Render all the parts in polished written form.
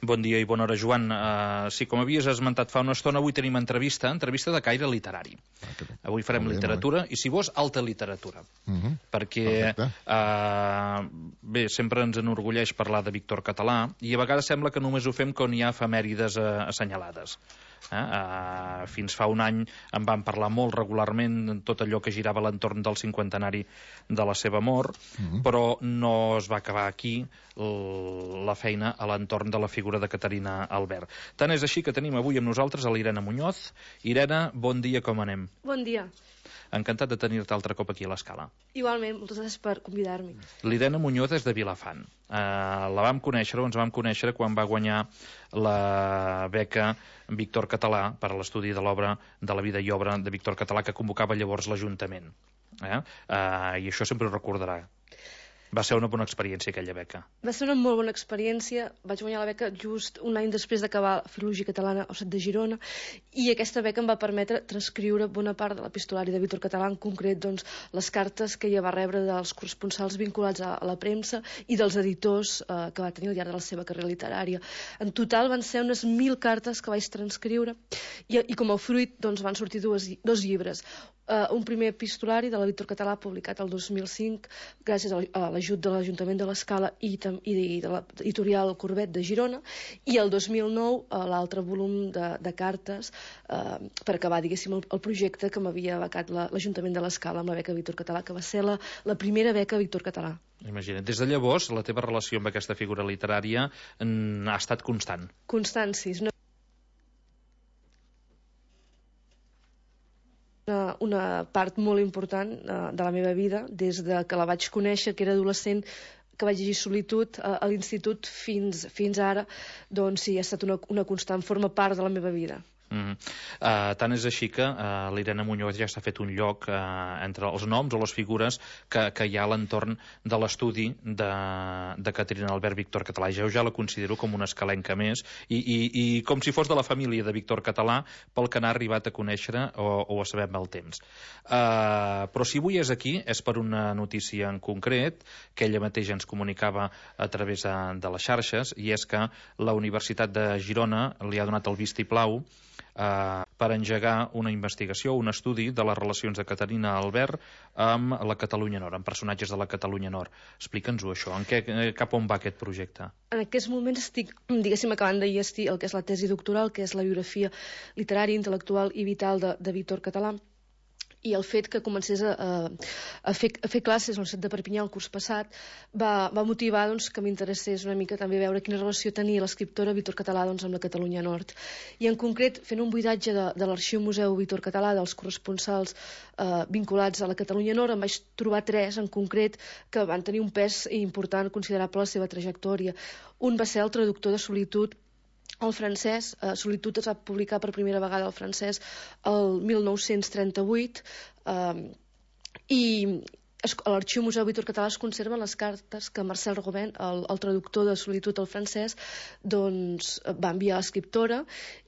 Bon dia i bona hora, Joan. Sí, com havies esmentat fa una estona, avui tenim entrevista de caire literari. Avui farem literatura, i si vols, alta literatura. Perquè, bé, sempre ens enorgulleix parlar de Víctor Català, i a vegades sembla que només ho fem quan hi ha efemèrides assenyalades. Fins fa un any en vam parlar molt regularment, tot allò que girava a l'entorn del cinquantenari de la seva mort, però no es va acabar aquí la feina a l'entorn de la figura de Caterina Albert. Tant és així que tenim avui amb nosaltres a l'Irene Muñoz. Irene, bon dia, com anem? Bon dia. Encantat de tenir-te altre cop aquí a l'Escala. Igualment, moltes gràcies per convidar-me. L'Irene Muñoz és de Vilafant. La vam conèixer, ens vam conèixer quan va guanyar la beca Víctor Català per a l'estudi de l'obra, de la vida i obra de Víctor Català, que convocava llavors l'Ajuntament. I això sempre ho recordarà. Va ser una bona experiència, aquella beca. Va ser una molt bona experiència. Vaig guanyar la beca just un any després d'acabar Filologia Catalana al CET de Girona, i aquesta beca em va permetre transcriure bona part de l'epistolari de Víctor Català, en concret doncs, les cartes que ella va rebre dels corresponsals vinculats a la premsa i dels editors que va tenir al llarg de la seva carrera literària. En total van ser unes 1.000 cartes que vaig transcriure, i com a fruit doncs, van sortir dos llibres. Un primer epistolari de la Víctor Català, publicat el 2005 gràcies a l'ajut de l'Ajuntament de l'Escala i de l'editorial Corbet de Girona, i el 2009 l'altre volum de cartes per acabar, diguéssim, el projecte que m'havia becat l'Ajuntament de l'Escala amb la beca Víctor Català, que va ser la primera beca Víctor Català. Imagina't, des de llavors la teva relació amb aquesta figura literària ha estat constant. Constant, sí. Una part molt important de la meva vida, des de que la vaig conèixer, que era adolescent, que vaig llegir Solitud a l'institut, fins ara, doncs sí, ha estat una constant, forma part de la meva vida. Tant és així que l'Irene Muñoz ja s'ha fet un lloc entre els noms o les figures que hi ha a l'entorn de l'estudi de Caterina Albert Víctor Català. Jo ja la considero com una escalenca més i com si fos de la família de Víctor Català, pel que n'ha arribat a conèixer o a saber amb el temps. Però si avui és aquí és per una notícia en concret que ella mateixa ens comunicava a través de les xarxes, i és que la Universitat de Girona li ha donat el vistiplau per engegar una investigació, un estudi de les relacions de Caterina Albert amb la Catalunya Nord, amb personatges de la Catalunya Nord. Explica'ns-ho, això. Cap on va aquest projecte? En aquests moments estic, diguéssim, acabant d'enllestir el que és la tesi doctoral, que és la biografia literària, intel·lectual i vital de Víctor Català. I el fet que comencés a fer classes a l'Universitat de Perpinyà el curs passat va motivar doncs, que m'interessés una mica també veure quina relació tenia l'escriptora Víctor Català doncs, amb la Catalunya Nord. I en concret, fent un buidatge de l'Arxiu Museu Víctor Català, dels corresponsals vinculats a la Catalunya Nord, em vaig trobar 3 en concret que van tenir un pes important, considerable a la seva trajectòria. Un va ser el traductor de Solitud, el francès. Solitud es va publicar per primera vegada al francès el 1938, i a l'Arxiu Museu Víctor Català es conserven les cartes que Marcel Robin, el traductor de Solitud al francès, doncs, va enviar a l'escriptora,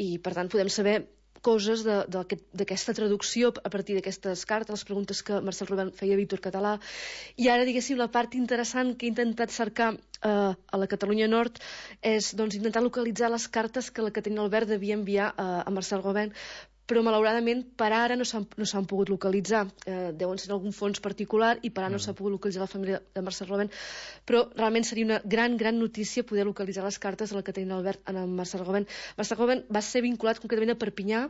i per tant podem saber coses d'aquesta traducció a partir d'aquestes cartes, les preguntes que Marcel Robin feia a Víctor Català. I ara, diguéssim, la part interessant que he intentat cercar a la Catalunya Nord és doncs, intentar localitzar les cartes que la Caterina Albert devia enviar a Marcel Robin, però malauradament per ara no s'han pogut localitzar. Deuen ser en algun fons particular, i per ara no s'ha pogut localitzar la família de Marcel Robin, però realment seria una gran notícia poder localitzar les cartes de la Caterina Albert en Marcel Robin. Marcel Robin va ser vinculat concretament a Perpinyà,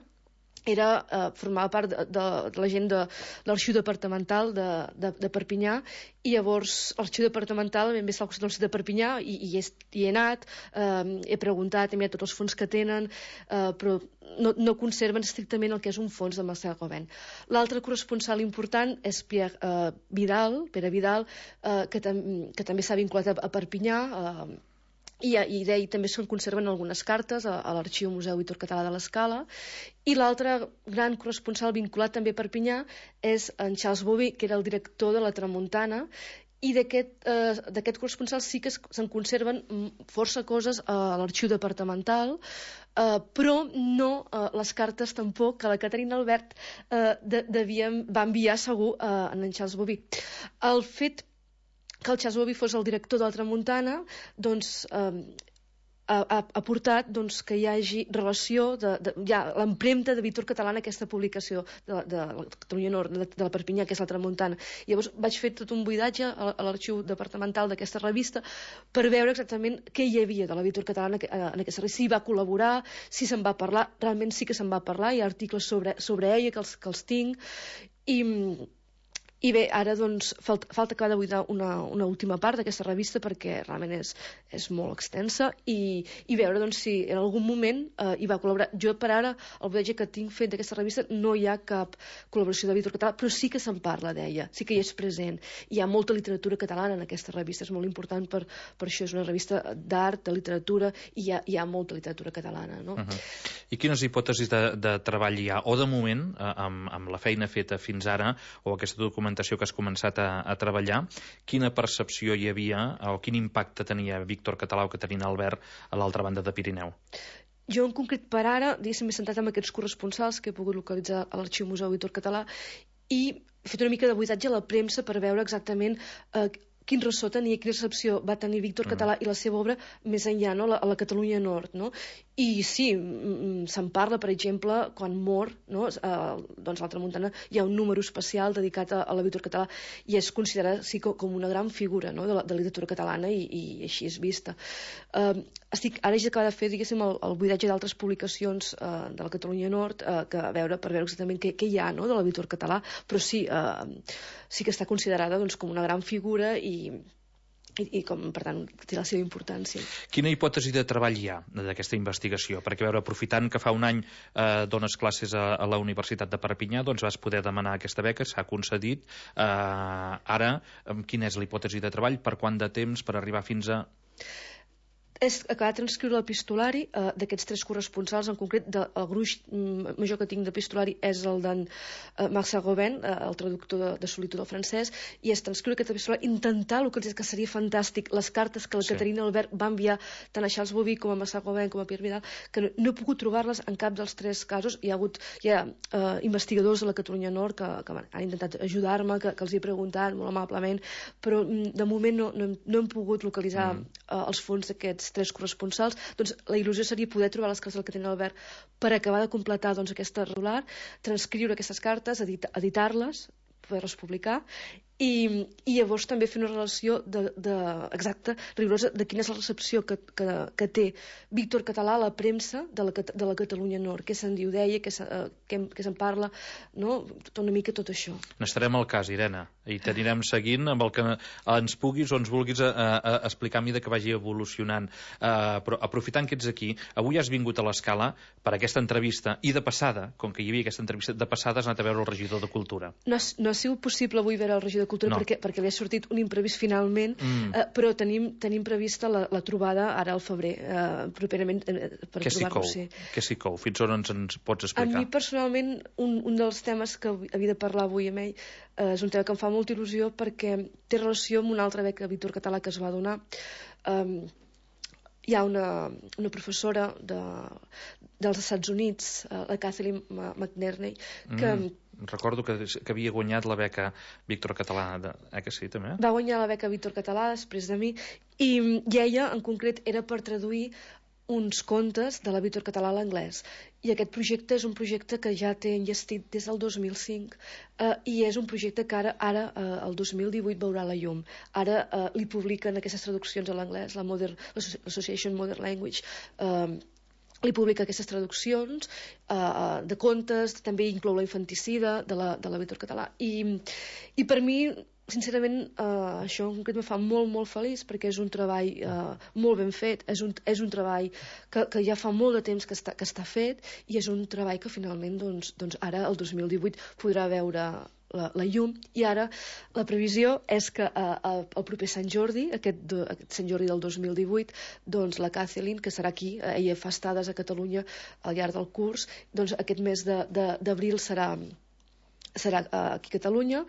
formava part de la gent de l'arxiu departamental de Perpinyà, i llavors l'arxiu departamental ben bé està al costat del CET de Perpinyà, i hi he anat, he preguntat, he mirat tots els fons que tenen, però no conserven estrictament el que és un fons de Marcel Robin. L'altre corresponsal important és Pere Vidal, que també s'ha vinculat a Perpinyà, i d'ell també se'n conserven algunes cartes a l'Arxiu Museu Víctor Català de l'Escala. I l'altre gran corresponsal vinculat també a Perpinyà és en Charles Bobby, que era el director de La Tramuntana, i d'aquest corresponsal sí que se'n conserven força coses a l'arxiu departamental, però no les cartes tampoc que la Caterina Albert va enviar segur a en Charles Bobby. El fet que el Charles Bobby fos el director de La Tramuntana, doncs ha portat doncs, que hi hagi relació, ja, l'empremta de Víctor Català en aquesta publicació de la Catalunya Nord, de la Perpinyà, que és la Tramuntana. Llavors vaig fer tot un buidatge a l'arxiu departamental d'aquesta revista per veure exactament què hi havia de la Víctor Català en aquesta revista, si va col·laborar, si se'n va parlar. Realment sí que se'n va parlar, hi ha articles sobre ella que els tinc, i bé, ara doncs falta acabar de buidar una última part d'aquesta revista perquè realment és molt extensa i veure doncs si en algun moment hi va col·laborar. Jo per ara el buidatge que tinc fet d'aquesta revista no hi ha cap col·laboració de Víctor Català, però sí que se'n parla d'ella, sí que hi és present. Hi ha molta literatura catalana en aquesta revista, és molt important per això, és una revista d'art, de literatura, i hi ha molta literatura catalana, no? I quines hipòtesis de treball hi ha? O de moment, amb la feina feta fins ara, o aquesta documentació que has començat a treballar, quina percepció hi havia o quin impacte tenia Víctor Català o Caterina Albert a l'altra banda de Pirineu? Jo en concret per ara, diguéssim, m'he centrat en aquests corresponsals que he pogut localitzar a l'Arxiu Museu Víctor Català i he fet una mica de buidatge a la premsa per veure exactament quin ressò tenia, quina recepció va tenir Víctor Català i la seva obra més enllà, no? a la Catalunya Nord, no? I sí, se'n parla, per exemple, quan mor, no? Doncs a la Tramuntana hi ha un número especial dedicat a la Víctor Català i és considerada sí, com una gran figura, no? de la literatura catalana i així és vista. Ara he d'acabar de fer, diguéssim, el buidatge d'altres publicacions de la Catalunya Nord per veure exactament què hi ha, no? de la Víctor Català, però sí, sí que està considerada doncs, com una gran figura i com, per tant, té la seva importància. Quina hipòtesi de treball hi ha d'aquesta investigació? Perquè, a veure, aprofitant que fa un any dones classes a la Universitat de Perpinyà, doncs vas poder demanar aquesta beca, s'ha concedit. Ara, quina és la hipòtesi de treball? Per quant de temps? Per arribar fins a... És acabar de transcriure l'epistolari d'aquests 3 corresponsals, en concret el gruix major que tinc d'epistolari és el d'en Marcel Robin, el traductor de Solitud al francès, i és transcriure aquest epistolari, intentar localitzar, que seria fantàstic, les cartes que la Caterina Albert va enviar tant a Charles Bobby com a Marcel Robin com a Pierre Vidal, que no he pogut trobar-les en cap dels 3 casos. Hi ha investigadors de la Catalunya Nord que han intentat ajudar-me, que els he preguntat molt amablement, però de moment no hem pogut localitzar els fons d'aquests 3 corresponsals. Doncs la il·lusió seria poder trobar les cartes del Caterina Albert per acabar de completar doncs, aquesta regular, transcriure aquestes cartes, editar-les, poder-les publicar i llavors també fer una relació exacta, rigorosa, de quina és la recepció que té Víctor Català a la premsa de la Catalunya Nord, què se'n diu d'ella, què se'n parla, no? Una mica tot això. N'estarem al cas, Irene, i t'anirem seguint amb el que ens puguis o ens vulguis explicar a mesura que vagi evolucionant. Però aprofitant que ets aquí, avui has vingut a l'Escala per aquesta entrevista i de passada, com que hi havia aquesta entrevista, de passada has anat a veure el regidor de Cultura. No ha sigut possible avui veure el regidor de Cultura perquè li ha sortit un imprevist finalment, però tenim prevista la trobada ara al febrer, properament, per trobar-nos. Què s'hi cou? Fins on ens pots explicar? A mi personalment un dels temes que havia de parlar avui amb ell és un tema que em fa molta il·lusió perquè té relació amb una altra beca Víctor Català que es va donar. Hi ha una professora dels Estats Units, la Kathleen McNerney, que recordo que havia guanyat la beca Víctor Català, que sí, també? Va guanyar la beca Víctor Català després de mi, i ella, en concret, era per traduir uns contes de la Víctor Català a l'anglès. I aquest projecte és un projecte que ja té enllestit des del 2005 i és un projecte que ara el 2018 veurà la llum. Ara li publiquen aquestes traduccions a l'anglès, l'Association Modern Language li publica aquestes traduccions de contes, també inclou la infanticida de la Víctor Català. I per mi, sincerament, això en concret me fa molt, molt feliç perquè és un treball molt ben fet, és un treball que ja fa molt de temps que està fet i és un treball que finalment doncs ara, el 2018, podrà veure la llum, i ara la previsió és que el proper Sant Jordi, aquest Sant Jordi del 2018, doncs la Kathleen, que serà aquí, ella fa estades a Catalunya al llarg del curs, doncs aquest mes d'abril serà aquí a Catalunya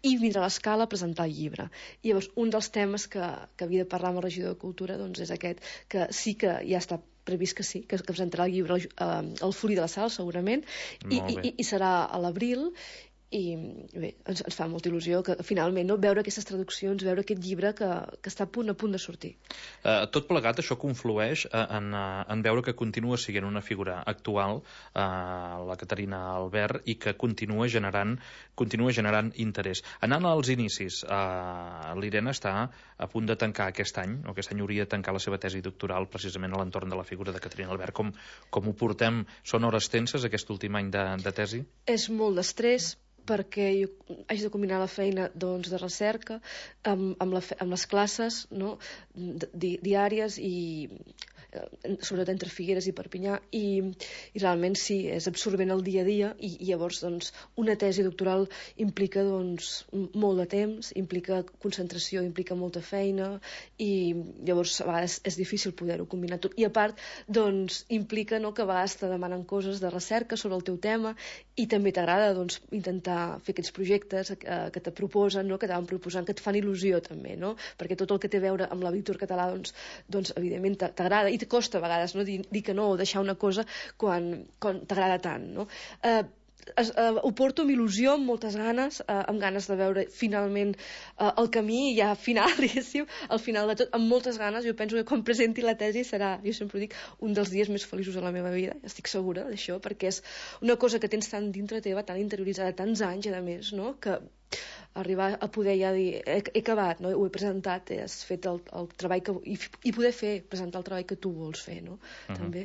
i vindrà a l'Escala a presentar el llibre. I llavors un dels temes que havia de parlar amb el regidor de Cultura doncs és aquest, que sí que ja està previst que sí, que presentarà el llibre al Folí de la Sal segurament, i serà a l'abril. i bé, ens fa molta il·lusió que finalment veure aquestes traduccions, veure aquest llibre que està a punt de sortir. Tot plegat això conflueix en veure que continua sent una figura actual, la Caterina Albert, i que continua generant interès. Anant als inicis, l'Irene està a punt de tancar aquest any hauria de tancar la seva tesi doctoral precisament a l'entorn de la figura de Caterina Albert. Com ho portem? Són hores tenses aquest últim any de tesi? És molt d'estrès, perquè jo haig de combinar la feina de recerca amb les classes, no? Diàries i sobretot entre Figueres i Perpinyà, i realment sí, és absorbent el dia a dia, i llavors una tesi doctoral implica molt de temps, implica concentració, implica molta feina, i llavors a vegades és difícil poder-ho combinar tot, i a part implica que a vegades te demanen coses de recerca sobre el teu tema, i també t'agrada intentar fer aquests projectes que te proposen, que t'han proposant, que et fan il·lusió també, perquè tot el que té a veure amb la Víctor Català evidentment t'agrada, i et costa a vegades dir que no, o deixar una cosa quan t'agrada tant, ho porto amb il·lusió, amb moltes ganes, amb ganes de veure finalment el camí ja final, diguéssim, al final de tot, amb moltes ganes. Jo penso que quan presenti la tesi serà, jo sempre ho dic, un dels dies més feliços de la meva vida, estic segura d'això, perquè és una cosa que tens tan dintre teva, tan interioritzada, tants anys, a més, que arribar a poder ja dir he acabat, ho he presentat, has fet el treball i poder presentar el treball que tu vols fer, també.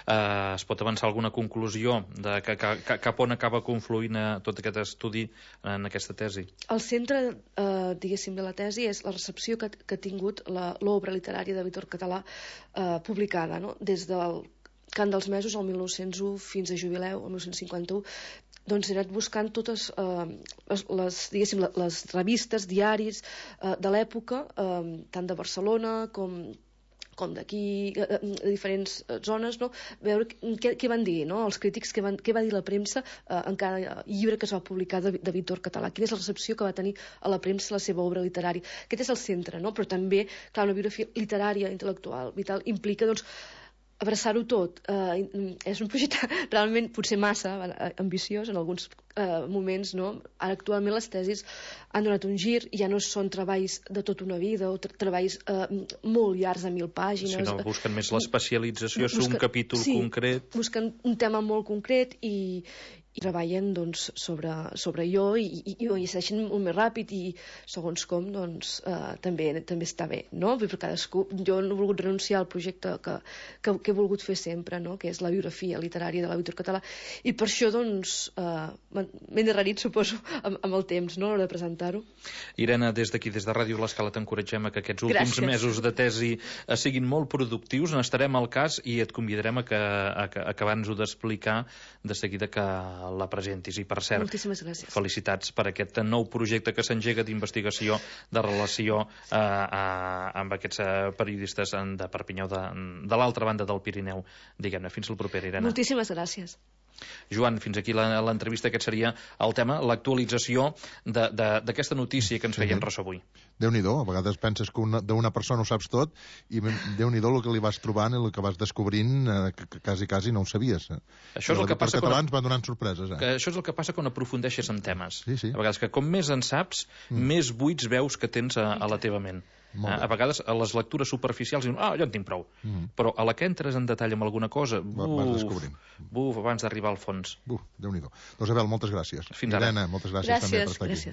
Es pot avançar alguna conclusió de cap on acaba confluint tot aquest estudi en aquesta tesi? El centre, diguéssim, de la tesi és la recepció que ha tingut l'obra literària de Víctor Català publicada, des del Cant dels Mesos, el 1901, fins a Jubileu, el 1951, he anat buscant totes les revistes, diaris de l'època, tant de Barcelona com d'aquí, de diferents zones, veure què van dir, els crítics, què va dir la premsa en cada llibre que es va publicar de Víctor Català, quina és la recepció que va tenir a la premsa la seva obra literària. Aquest és el centre, però també, clar, una biografia literària, intel·lectual, vital, implica, abraçar-ho tot. És un projecte realment potser massa ambiciós en alguns moments, Ara actualment les tesis han donat un gir, ja no són treballs de tota una vida o treballs molt llargs de 1000 pàgines. Sinó busquen més l'especialització, un capítol concret. Busquen un tema molt concret i treballen sobre allò i ho llegeixen molt més ràpid i segons com també està bé, per cadascú. Jo no he volgut renunciar al projecte que he volgut fer sempre, que és la biografia literària de la Víctor Català, i per això m'he endarrerit, suposo, amb el temps, a l'hora de presentar-ho. Irene, des d'aquí, des de Ràdio L'Escala, t'encoratgem a que aquests últims mesos de tesi siguin molt productius, n'estarem al cas i et convidarem a que abans-ho d'explicar de seguida que la presentis. I per cert, moltíssimes gràcies. Felicitats per aquest nou projecte que s'engega d'investigació, de relació amb aquests periodistes de Perpinyà, de l'altra banda del Pirineu, diguem-ne. Fins al proper, Irene. Moltíssimes gràcies. Joan, fins aquí l'entrevista. Aquest seria el tema, l'actualització d'aquesta notícia que ens feien ressò avui. Déu-n'hi-do, a vegades penses que d'una persona ho saps tot i Déu-n'hi-do el que li vas trobant i el que vas descobrint, que quasi no ho sabies. Això és el que passa quan va donant sorpreses. Això és el que passa quan aprofundeixes en temes. Sí. A vegades que com més en saps, més buits veus que tens a la teva ment. A vegades a les lectures superficials diuen, ja en tinc prou. Però a la que entres en detall amb alguna cosa, vas descobrint. Abans d'arribar al fons. Déu-n'hi-do. Doncs Abel, moltes gràcies. Fins ara. Irene, moltes gràcies també per estar aquí. Gràcies.